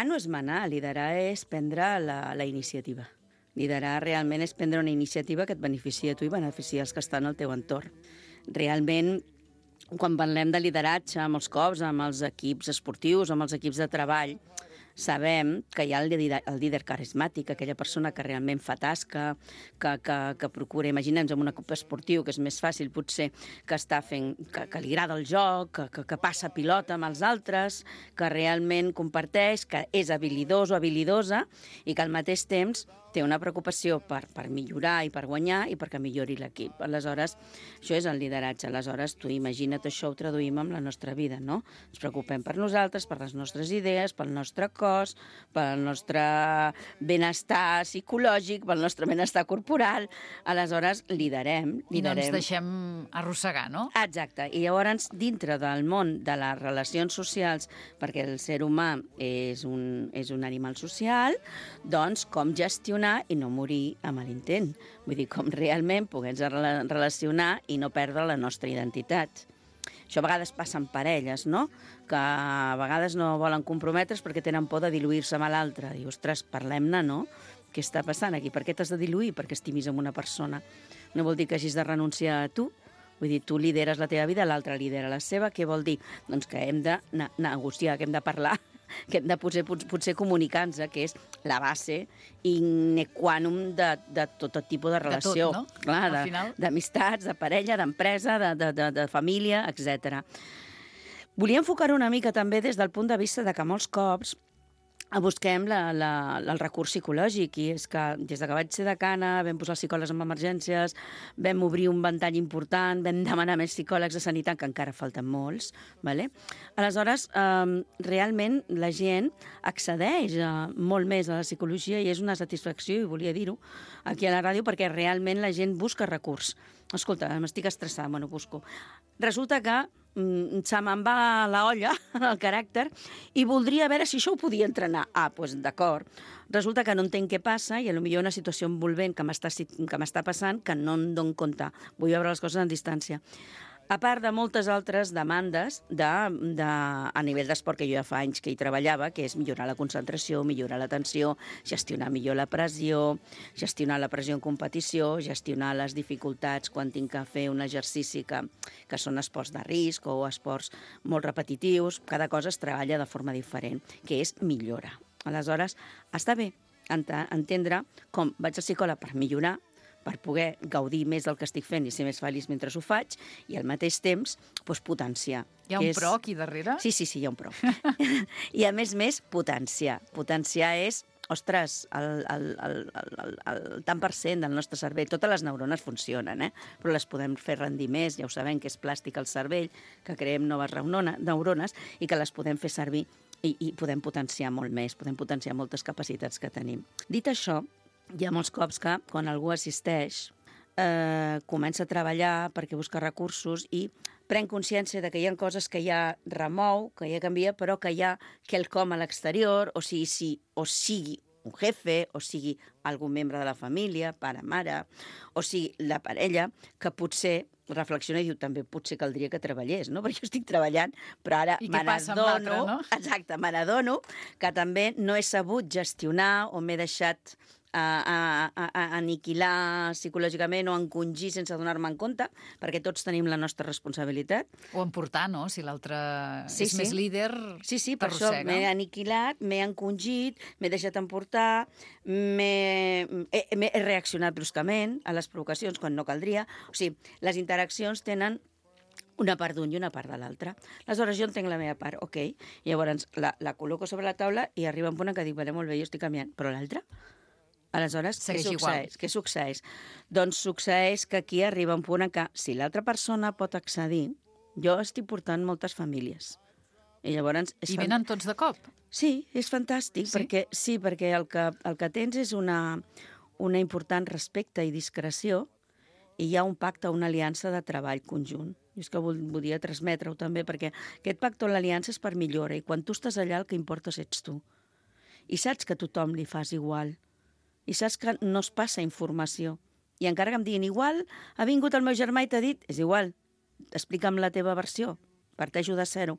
no és manar, liderar és prendre la iniciativa. Liderar realment és prendre una iniciativa que et beneficia a tu i beneficia els que estan al teu entorn. Realment, quan parlem de lideratge, molts cops amb els equips esportius, amb els equips de treball, sabem que hi ha el líder carismàtic, aquella persona que realment fa tasca, que procura, imaginem-nos en un equip esportiu, que és més fàcil potser, que està fent, que li agrada el joc, que passa pilota amb els altres, que realment comparteix, que és habilidós o habilidosa i que al mateix temps té una preocupació per millorar i per guanyar i perquè millori l'equip. Aleshores, això és el lideratge. Aleshores, tu imagina't això, ho traduïm amb la nostra vida, no? Ens preocupem per nosaltres, per les nostres idees, pel nostre cos, pel nostre benestar psicològic, pel nostre benestar corporal. Aleshores, liderem. I no ens deixem arrossegar, no? Exacte. I llavors, dintre del món de les relacions socials, perquè el ser humà és un animal social, doncs com gestionar i no morir amb l'intent. Vull dir, com realment poder-nos relacionar i no perdre la nostra identitat. Això a vegades passa en parelles, no? Que a vegades no volen comprometre's perquè tenen por de diluir-se amb l'altre. Diu, ostres, parlem-ne, no? Què està passant aquí? Per què t'has de diluir? Perquè estimis amb una persona. No vol dir que hagis de renunciar a tu. Vull dir, tu lideres la teva vida, l'altre lidera la seva. Què vol dir? Doncs que hem de negociar, que hem de parlar, que hem de potser comunicar-nos, que és la base in qua non de tot tipus de relació. De tot, no? Clar, d'amistats, de parella, d'empresa, de família, etc. Volia enfocar-ho una mica també des del punt de vista de que molts cops busquem el recurs psicològic, i és que des que vaig ser decana vam posar psicòlegs en emergències, vam obrir un ventall important, vam demanar més psicòlegs de sanitat, que encara falten molts. ¿Vale? Aleshores, realment la gent accedeix molt més a la psicologia i és una satisfacció, i volia dir-ho aquí a la ràdio, perquè realment la gent busca recurs. Escolta, m'estic estressada, bueno, busco. Resulta que se me'n va la olla, el caràcter, i voldria veure si això ho podia entrenar. Doncs d'acord. Resulta que no entenc què passa i potser una situació envolvent que m'està passant que no em dono compte. Vull veure les coses en distància. A part de moltes altres demandes a nivell d'esport, que jo ja fa anys que hi treballava, que és millorar la concentració, millorar l'atenció, gestionar millor la pressió en competició, gestionar les dificultats quan tinc que fer un exercici que són esports de risc o esports molt repetitius. Cada cosa es treballa de forma diferent, que és millora. Aleshores, està bé entendre com vaig al psicòleg per millorar, per poder gaudir més del que estic fent i ser més feliç mentre ho faig, i al mateix temps potenciar. Hi ha un pro aquí darrere? Sí, hi ha un pro. I a més, potenciar. Potenciar és, ostres, el tant per cent del nostre cervell. Totes les neurones funcionen, però les podem fer rendir més, ja ho sabem, que és plàstic al cervell, que creem noves neurones i que les podem fer servir i podem potenciar molt més, podem potenciar moltes capacitats que tenim. Dit això, hi ha molts cops que, quan algú assisteix, comença a treballar perquè busca recursos i pren consciència de que hi ha coses que ja remou, que ja canvia, però que hi ha quelcom a l'exterior, o sigui un jefe, o sigui algun membre de la família, pare, mare, o sigui la parella, que potser reflexiona i diu, també potser caldria que treballés, no? Perquè jo estic treballant, però ara me n'adono que també no he sabut gestionar o m'he deixat aniquilar psicològicament o encongir sense donar-me en compte, perquè tots tenim la nostra responsabilitat. O emportar, no? Si l'altre és més líder, sí, per això m'he aniquilat, m'he encongit, m'he deixat emportar, he reaccionat bruscament a les provocacions quan no caldria. O sigui, les interaccions tenen una part d'un i una part de l'altre. Aleshores, jo entenc la meva part, ok. Llavors, la col·loco sobre la taula i arriba un punt en què dic, vale, molt bé, jo estic canviant, però l'altre? Aleshores, què succeeix? Doncs succeeix que aquí arriba un punt en què, si l'altra persona pot accedir, jo estic portant moltes famílies I llavors... I venen tots de cop? Sí, és fantàstic, Sí? perquè el que tens és una important respecte i discreció i hi ha un pacte, una aliança de treball conjunt. I és que volia transmetre-ho també, perquè aquest pacte o l'aliança és per millora, i quan tu estàs allà el que importa ets tu. I saps que a tothom li fas igual. I saps que no es passa informació. I encara que em diguin igual, ha vingut el meu germà i t'ha dit, és igual, explica'm la teva versió, parteixo de zero.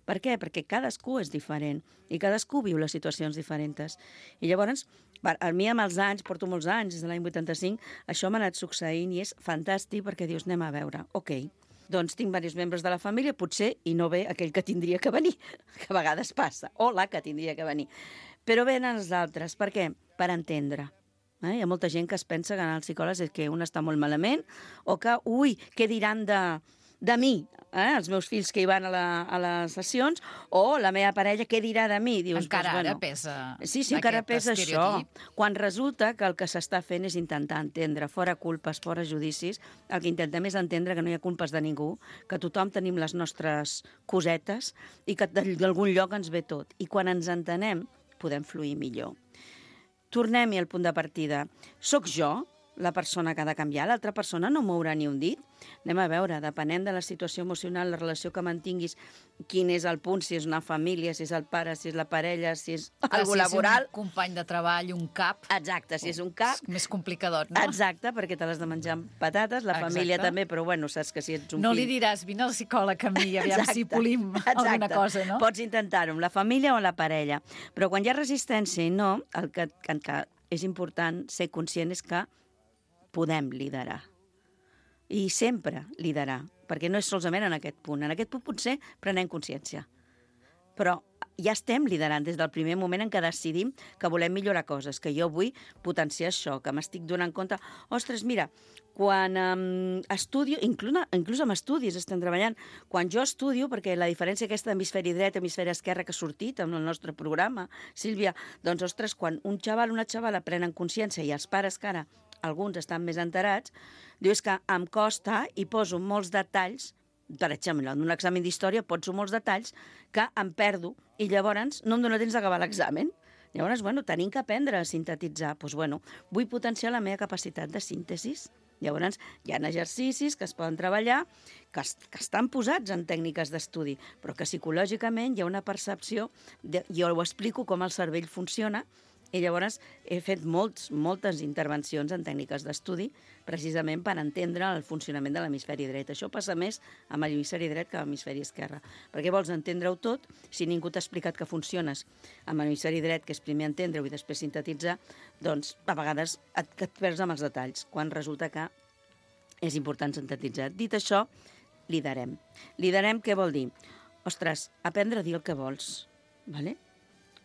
Per què? Perquè cadascú és diferent i cadascú viu les situacions diferents. I llavors, a mi amb els anys, porto molts anys, des de l'any 85, això m'ha anat succeint i és fantàstic perquè dius, anem a veure, ok, doncs tinc diversos membres de la família, potser, i no ve aquell que tindria que venir, que a vegades passa, o la que tindria que venir. Però venen els altres, per què? Per entendre. Hi ha molta gent que es pensa que anar al psicòleg és que un està molt malament o que, què diran de mi, els meus fills que hi van a les sessions, o la meva parella, què dirà de mi? Dius, encara ara pesa sí, encara pesa això. Quan resulta que el que s'està fent és intentar entendre, fora culpes, fora judicis, el que intentem és entendre que no hi ha culpes de ningú, que tothom tenim les nostres cosetes i que d'algun lloc ens ve tot. I quan ens entenem, podem fluir millor. Tornem-hi al punt de partida. Soc jo la persona que ha de canviar, l'altra persona no mourà ni un dit. Anem a veure, depenent de la situació emocional, la relació que mantinguis, quin és el punt, si és una família, si és el pare, si és la parella, si és algú laboral. Si és un company de treball, un cap... Exacte, si és un cap... És més complicadot, no? Exacte, perquè te l'has de menjar amb patates, la família també, però bueno, saps que si ets un no fill... li diràs, vine al psicòleg a mi, aviam si polim alguna cosa, no? Pots intentar-ho amb la família o amb la parella. Però quan hi ha resistència i no, el que és important ser conscient és que podem liderar. I sempre liderar, perquè no és solament en aquest punt. En aquest punt potser prenem consciència. Però ja estem liderant des del primer moment en què decidim que volem millorar coses, que jo vull potenciar això, que m'estic donant compte... Ostres, mira, quan estudio, inclús amb estudis estem treballant, quan jo estudio, perquè la diferència aquesta d'hemisferi dret i hemisferi esquerre que ha sortit en el nostre programa, Sílvia, doncs, ostres, quan un xaval o una xavala prenen consciència i els pares que ara alguns estan més enterats, diu, és que em costa i poso molts detalls, per exemple, en un examen d'història poso molts detalls que em perdo i llavors no em dóna temps d'acabar l'examen. Llavors, tenim que aprendre a sintetitzar. Doncs, vull potenciar la meva capacitat de síntesis. Llavors, hi ha exercicis que es poden treballar, que estan posats en tècniques d'estudi, però que psicològicament hi ha una percepció, jo ho explico com el cervell funciona, i llavors he fet moltes intervencions en tècniques d'estudi precisament per entendre el funcionament de l'hemisferi dret. Això passa més amb l'hemisferi dret que amb l'hemisferi esquerre. Perquè vols entendre-ho tot, si ningú t'ha explicat que funciones amb l'hemisferi dret, que és primer entendre-ho i després sintetitzar, doncs a vegades et perds amb els detalls, quan resulta que és important sintetitzar. Dit això, liderem. Liderem què vol dir? Ostres, aprendre a dir el que vols, ¿vale?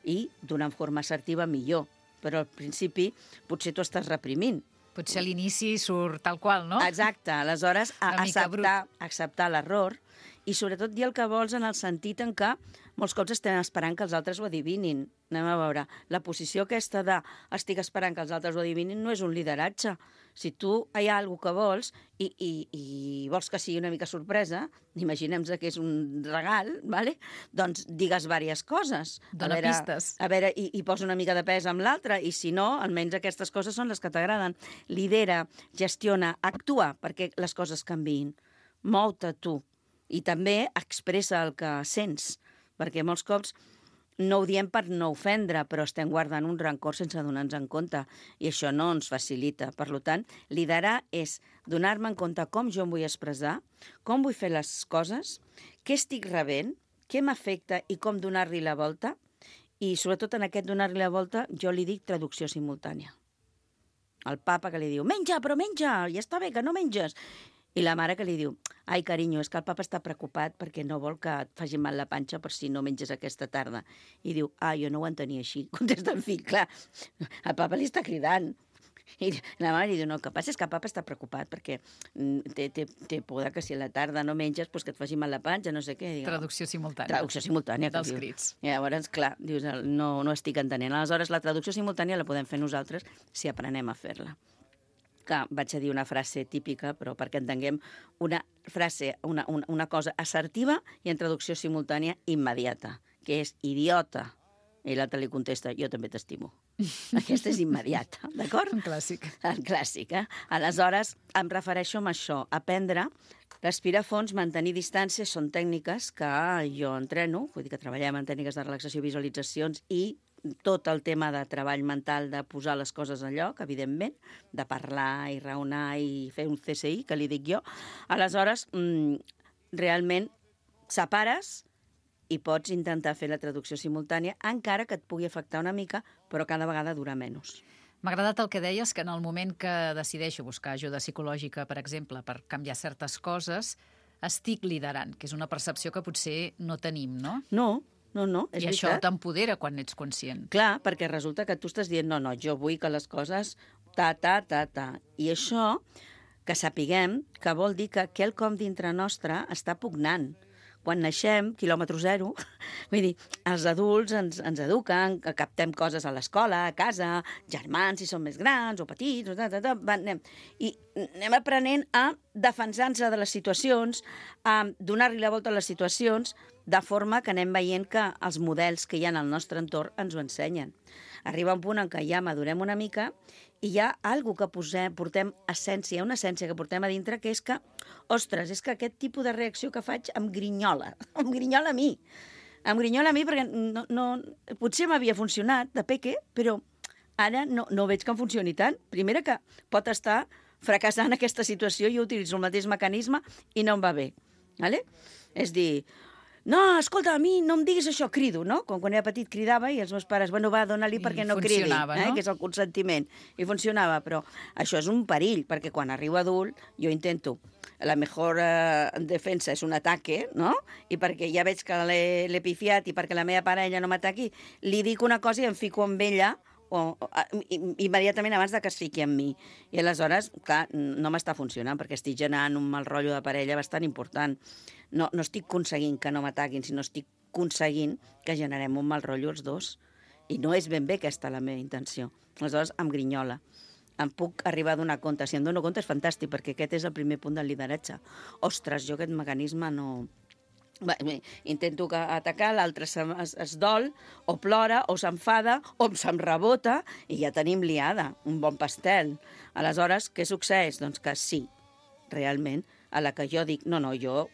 I d'una forma assertiva millor. Però al principi potser t'ho estàs reprimint. Potser a l'inici surt tal qual, no? Exacte. Aleshores, acceptar l'error i sobretot dir el que vols en el sentit en què molts cops estem esperant que els altres ho adivinin. Anem a veure. La posició aquesta de estic esperant que els altres ho adivinin no és un lideratge. Si tu hi ha alguna que vols i vols que sigui una mica sorpresa, imaginem que és un regal, ¿vale? Doncs digues diverses coses. Dóna pistes. A veure, i posa una mica de pes amb l'altre, i si no, almenys aquestes coses són les que t'agraden. Lidera, gestiona, actua perquè les coses canviïn. Mou-te tu. I també expressa el que sents, perquè molts cops no ho diem per no ofendre, però estem guardant un rancor sense donar-nos en compte, i això no ens facilita. Per tant, liderar és donar-me en compte com jo em vull expressar, com vull fer les coses, què estic rebent, què m'afecta i com donar-li la volta, i sobretot en aquest donar-li la volta jo li dic traducció simultània. El papa que li diu, menja, però menja, ja està bé que no menges. I la mare que li diu, ai, carinyo, és que el papa està preocupat perquè no vol que et faci mal la panxa per si no menges aquesta tarda. I diu, jo no ho entenia així. Contesta el fill, clar, el papa li està cridant. I la mare li diu, no, el que passa és que el papa està preocupat perquè té por que si a la tarda no menges pues que et faci mal la panxa, no sé què. Diu, traducció simultània. Traducció simultània. Dels crits. I llavors, clar, dius, no estic entenent. Aleshores, la traducció simultània la podem fer nosaltres si aprenem a fer-la. que vaig a dir una frase típica, però perquè entenguem una frase, una cosa assertiva i en traducció simultània immediata, que és idiota. I l'altre li contesta, jo també t'estimo. Aquesta és immediata, d'acord? Un clàssic. El clàssic, eh? Aleshores, em refereixo a això, aprendre, respirar fons, mantenir distàncies, són tècniques que jo entreno, vull dir que treballem en tècniques de relaxació i visualitzacions i tot el tema de treball mental, de posar les coses en lloc, evidentment, de parlar i raonar i fer un CSI, que li dic jo. Aleshores, realment separes i pots intentar fer la traducció simultània, encara que et pugui afectar una mica, però cada vegada dura menys. M'ha agradat el que deies, que en el moment que decideixo buscar ajuda psicològica, per exemple, per canviar certes coses, estic liderant, que és una percepció que potser no tenim, no? No, és I això veritat. t'empodera quan ets conscient. Clar, perquè resulta que tu estàs dient, no, jo vull que les coses ta. I això, que sapiguem, que vol dir que quelcom dintre nostre està pugnant. Quan naixem, quilòmetre zero, vull dir, els adults ens eduquen, que captem coses a l'escola, a casa, germans si són més grans o petits, i anem aprenent a defensar-nos de les situacions, a donar-li la volta a les situacions, de forma que anem veient que els models que hi ha al nostre entorn ens ho ensenyen. Arriba un punt en què ja madurem una mica i hi ha alguna que portem essència, una essència que portem a dintre, que és que, ostres, és que aquest tipus de reacció que faig em grinyola a mi. Em grinyola a mi perquè potser m'havia funcionat de peque, però ara no veig que em funcioni tant. Primera, que pot estar fracassant aquesta situació i jo utilitzo el mateix mecanisme i no em va bé. Vale? És dir, no, escolta, a mi no em diguis això, crido, no? Com quan era petit cridava i els meus pares, bueno, va, dona-li perquè no cridi, no? Que és el consentiment. I funcionava, però això és un perill, perquè quan arribo adult jo intento, la millor defensa és un ataque, no? I perquè ja veig que l'he pifiat i perquè la meva parella no m'ataqui, li dic una cosa i em fico amb ella immediatament abans que es fiqui amb mi. I aleshores, clar, no m'està funcionant perquè estic generant un mal rotllo de parella bastant important. No estic aconseguint que no m'ataquin, sinó estic aconseguint que generem un mal rotllo els dos. I no és ben bé aquesta la meva intenció. Aleshores, em grinyola. Em puc arribar a donar compte. Si em dono compte és fantàstic, perquè aquest és el primer punt del lideratge. Ostres, jo aquest mecanisme no... Intento atacar, l'altre es dol, o plora, o s'enfada, o se'm rebota, i ja tenim liada, un bon pastel. Aleshores, què succeeix? Doncs que sí, realment, a la que jo dic, jo,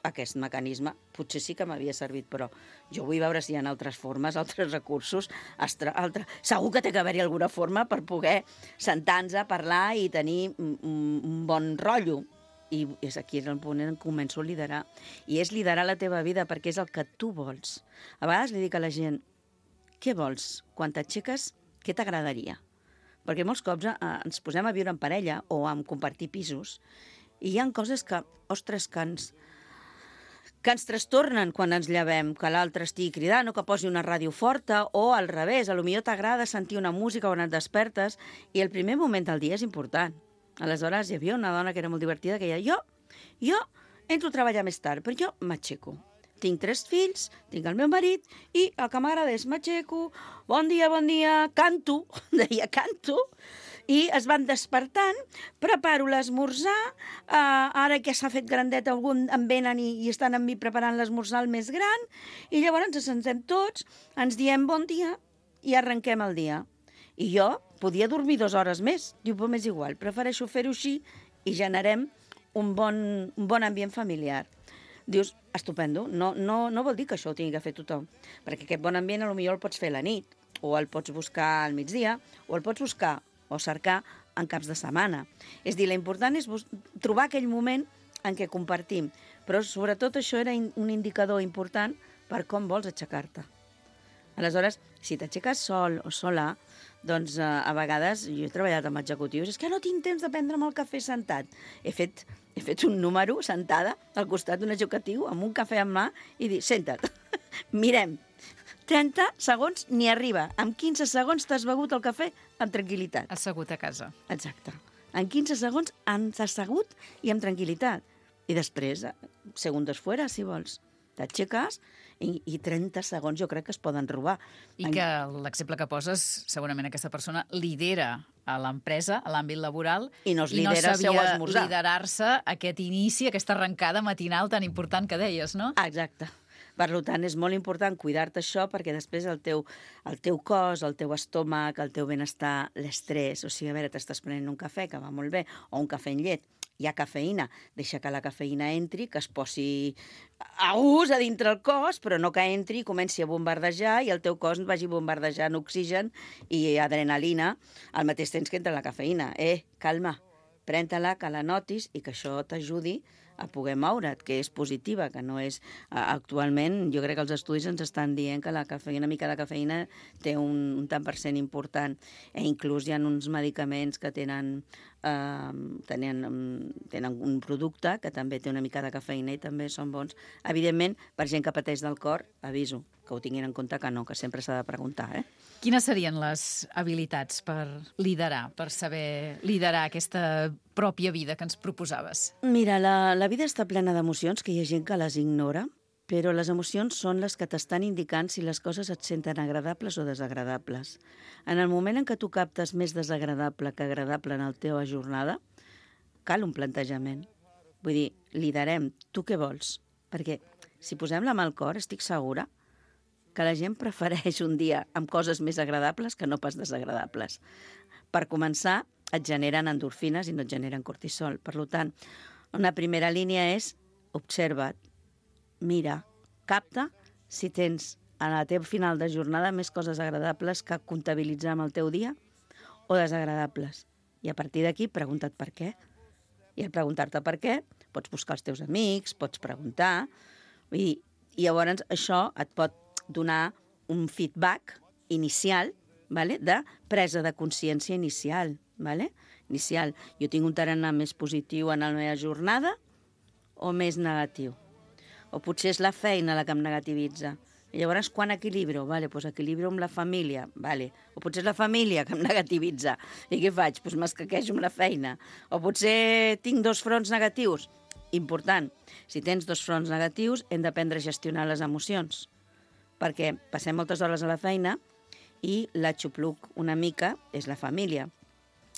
aquest mecanisme, potser sí que m'havia servit, però jo vull veure si hi ha altres formes, altres recursos, segur que té que haver-hi alguna forma per poder sentar-nos a parlar i tenir un bon rotllo. I és aquí el punt en què començo a liderar. I és liderar la teva vida perquè és el que tu vols. A vegades li dic a la gent, què vols? Quan t'aixeques, què t'agradaria? Perquè molts cops ens posem a viure en parella o a compartir pisos i hi ha coses que, ostres, que ens trastornen quan ens llevem, que l'altre estigui cridant o que posi una ràdio forta o al revés, potser t'agrada sentir una música quan et despertes i el primer moment del dia és important. Aleshores, hi havia una dona que era molt divertida que deia, jo entro a treballar més tard, però jo m'aixeco. Tinc 3 fills, tinc el meu marit i el que m'agrada és m'aixeco, bon dia, canto, deia canto, i es van despertant, preparo l'esmorzar, ara que s'ha fet grandet algun em venen i estan amb mi preparant l'esmorzar el més gran, i llavors ens sentem tots, ens diem bon dia i arrenquem el dia. I jo podia dormir 2 hores més. Diu, però m'és igual, prefereixo fer-ho així i generem un bon ambient familiar. Dius, estupendo, no vol dir que això ho tingui que fer tothom, perquè aquest bon ambient potser el pots fer a la nit, o el pots buscar al migdia, o el pots buscar o cercar en caps de setmana. És dir, l'important és trobar aquell moment en què compartim, però sobretot això era un indicador important per com vols aixecar-te. Aleshores, si t'aixeques sol o sola, doncs a vegades, jo he treballat amb executius, és que no tinc temps de prendre'm el cafè sentat. He fet un número sentada al costat d'un executiu amb un cafè en mà i dir, senta't, mirem, 30 segons ni arriba. En 15 segons t'has begut el cafè amb tranquil·litat. Assegut a casa. Exacte. En 15 segons has assegut i amb tranquil·litat. I després, segundos fuera, si vols. T'aixeques i 30 segons jo crec que es poden robar. I que l'exemple que poses, segurament aquesta persona lidera a l'empresa, a l'àmbit laboral, I no es lidera el seu sabia esmorzar. liderar-se aquest inici, aquesta arrencada matinal tan important que deies, no? Exacte. Per tant, és molt important cuidar-te això perquè després el teu cos, el teu estómac, el teu benestar, l'estrès, o sigui, a veure, t'estàs prenent un cafè, que va molt bé, o un cafè amb llet, hi ha cafeïna, deixa que la cafeïna entri, que es posi a ús a dintre el cos, però no que entri i comenci a bombardejar i el teu cos vagi bombardejant oxigen i adrenalina al mateix temps que entra la cafeïna. Calma, pren-te-la, que la notis i que això t'ajudi a poder moure't, que és positiva, que no és... Actualment, jo crec que els estudis ens estan dient que la cafeïna, una mica de cafeïna té un tant per cent important. Inclús hi ha uns medicaments que tenen un producte que també té una mica de cafeïna i també són bons. Evidentment, per gent que pateix del cor, aviso, que ho tinguin en compte que no, que sempre s'ha de preguntar, Quines serien les habilitats per liderar, per saber liderar aquesta pròpia vida que ens proposaves? Mira, la vida està plena d'emocions, que hi ha gent que les ignora, però les emocions són les que t'estan indicant si les coses et senten agradables o desagradables. En el moment en què tu captes més desagradable que agradable en la teva jornada, cal un plantejament. Vull dir, liderem, tu què vols? Perquè si posem la mà al cor, estic segura que la gent prefereix un dia amb coses més agradables que no pas desagradables. Per començar, et generen endorfines i no et generen cortisol. Per tant, una primera línia és observa't, mira, capta si tens a la teva final de jornada més coses agradables que comptabilitzar amb el teu dia o desagradables. I a partir d'aquí, pregunta't per què. I al preguntar-te per què, pots buscar els teus amics, pots preguntar, i llavors això et pot donar un feedback inicial, vale? De presa de consciència inicial. Vale? Inicial. Jo tinc un tarannà més positiu en la meva jornada o més negatiu? O potser és la feina la que em negativitza. I llavors, quan equilibro? Vale, doncs equilibro amb la família. Vale. O potser és la família que em negativitza. I què faig? Doncs m'escaquejo amb la feina. O potser tinc 2 fronts negatius. Important. Si tens 2 fronts negatius, hem d'aprendre a gestionar les emocions. Perquè passem moltes hores a la feina i la xupluc una mica és la família.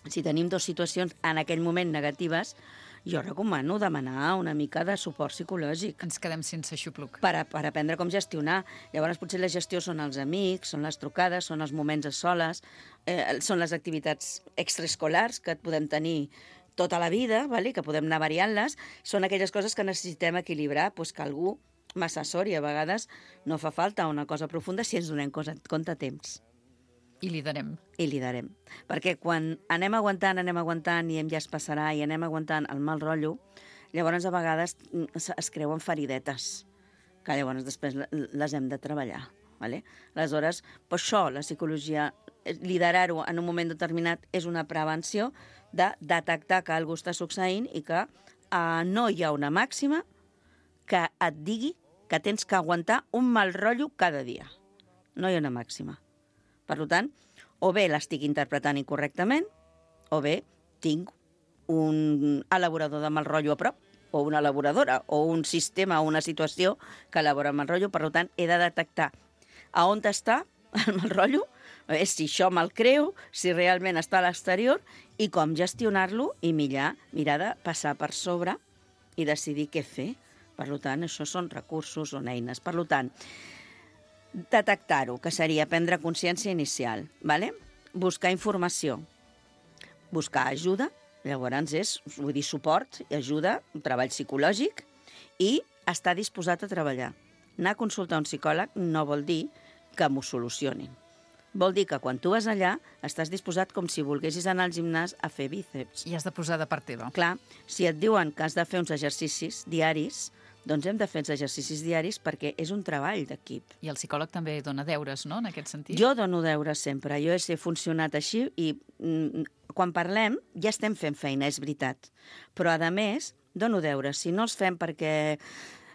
Si tenim 2 situacions en aquell moment negatives, jo recomano demanar una mica de suport psicològic. Ens quedem sense xupluc. Per aprendre com gestionar. Llavors, potser la gestió són els amics, són les trucades, són els moments a soles, són les activitats extraescolars que podem tenir tota la vida, vale? Que podem anar variant-les. Són aquelles coses que necessitem equilibrar, doncs que algú m'assessori. A vegades no fa falta una cosa profunda si ens donem compte a temps. I liderem. I liderem. Perquè quan anem aguantant i ja es passarà i anem aguantant el mal rotllo, llavors a vegades es creuen feridetes, que llavors després les hem de treballar. Vale? Aleshores, per això la psicologia, liderar-ho en un moment determinat és una prevenció de detectar que alguna cosa està succeint i que no hi ha una màxima que et digui que tens que aguantar un mal rotllo cada dia. No hi ha una màxima. Per tant, o bé l'estic interpretant incorrectament, o bé tinc un elaborador de mal rotllo a prop, o una elaboradora, o un sistema o una situació que elabora mal rotllo. Per tant, he de detectar a on està el mal rotllo, si això me'l creo, si realment està a l'exterior, i com gestionar-lo i mirar de passar per sobre i decidir què fer. Per tant, això són recursos, són eines. Per tant, detectar-ho, que seria prendre consciència inicial, vale? Buscar informació, buscar ajuda, llavors és, vull dir, suport, ajuda, un treball psicològic, i estar disposat a treballar. Anar a consultar un psicòleg no vol dir que m'ho solucionin. Vol dir que quan tu vas allà estàs disposat com si volguessis anar al gimnàs a fer bíceps. I has de posar de part teva. Clar, si et diuen que has de fer uns exercicis diaris, doncs hem de fer els exercicis diaris perquè és un treball d'equip. I el psicòleg també dona deures, no?, en aquest sentit. Jo dono deures sempre. Jo he funcionat així i quan parlem ja estem fent feina, és veritat. Però, a més, dono deures. Si no els fem perquè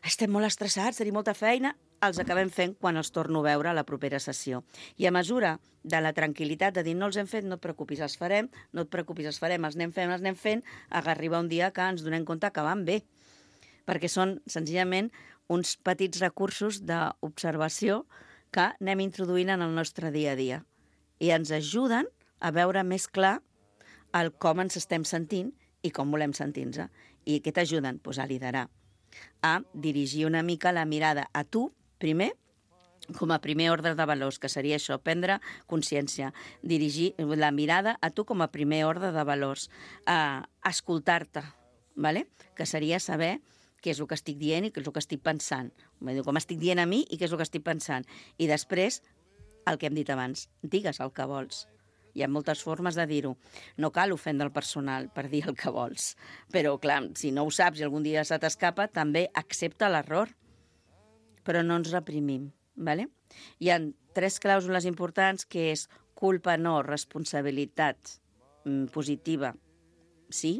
estem molt estressats, tenim molta feina, els acabem fent quan els torno a veure a la propera sessió. I a mesura de la tranquil·litat de dir no els hem fet, no et preocupis, els farem, no et preocupis, els farem, els anem fent, arriba un dia que ens donem compte que van bé. Perquè són, senzillament, uns petits recursos d'observació que anem introduint en el nostre dia a dia i ens ajuden a veure més clar el com ens estem sentint i com volem sentir-nos. I què t'ajuden? Pues a liderar, a dirigir una mica la mirada a tu, primer, com a primer ordre de valors, que seria això, prendre consciència, dirigir la mirada a tu com a primer ordre de valors, escoltar-te, ¿vale? Que seria saber què és el que estic dient i què és el que estic pensant. Com estic dient a mi i què és el que estic pensant. I després, el que hem dit abans, digues el que vols. Hi ha moltes formes de dir-ho. No cal ofendre el personal per dir el que vols. Però, clar, si no ho saps i algun dia se t'escapa, també accepta l'error. Però no ens reprimim, ¿vale? Hi ha 3 clàusules importants, que és culpa no, responsabilitat positiva, sí,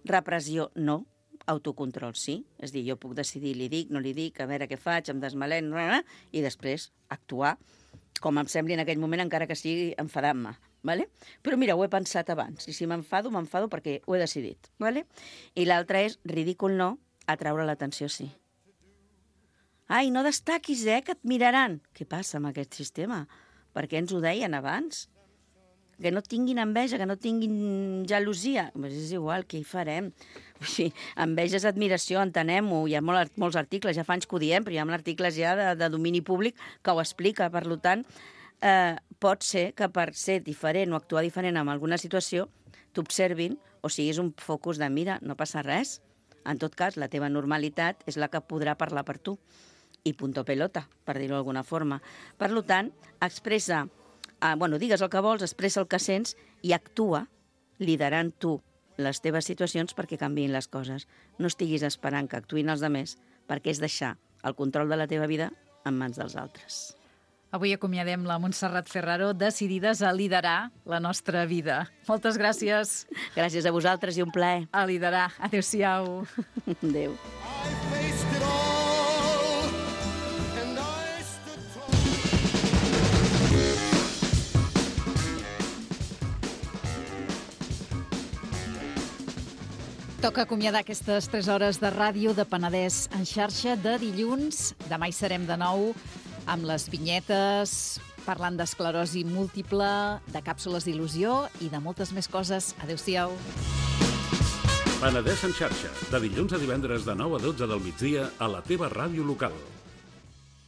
repressió no, autocontrol sí, és a dir, jo puc decidir, li dic, no li dic, a veure què faig, em desmalent, i després actuar com em sembli en aquell moment, encara que sigui enfadant-me. ¿Vale? Però mira, ho he pensat abans, i si m'enfado perquè ho he decidit. ¿Vale? I l'altre és ridícul no, atraure l'atenció sí. Ai, no destaquis, que et miraran. Què passa amb aquest sistema? Per què ens ho deien abans? Que no tinguin enveja, que no tinguin gelosia. Pues és igual, què hi farem? Enveja és admiració, entenem-ho. Hi ha molts articles, ja fa anys que ho diem, però hi ha articles ja de domini públic que ho explica. Per tant, pot ser que per ser diferent o actuar diferent en alguna situació t'observin o siguis un focus de mira, no passa res. En tot cas, la teva normalitat és la que podrà parlar per tu. I punto pelota, per dir-ho d'alguna forma. Per tant, expressa, digues el que vols, expressa el que sents i actua liderant tu les teves situacions perquè canviïn les coses. No estiguis esperant que actuïn els altres, perquè és deixar el control de la teva vida en mans dels altres. Avui acomiadem la Montserrat Ferraro, decidides a liderar la nostra vida. Moltes gràcies. Gràcies a vosaltres i un plaer. A liderar. Adéu-siau. Adéu. Toca acomiadar aquestes 3 hores de ràdio de Penedès en xarxa de dilluns. Demà hi serem de nou amb les vinyetes, parlant d'esclerosi múltiple, de càpsules d'il·lusió i de moltes més coses. Adéu-siau. Penedès en xarxa, de dilluns a divendres de 9 a 12 del migdia a la teva ràdio local.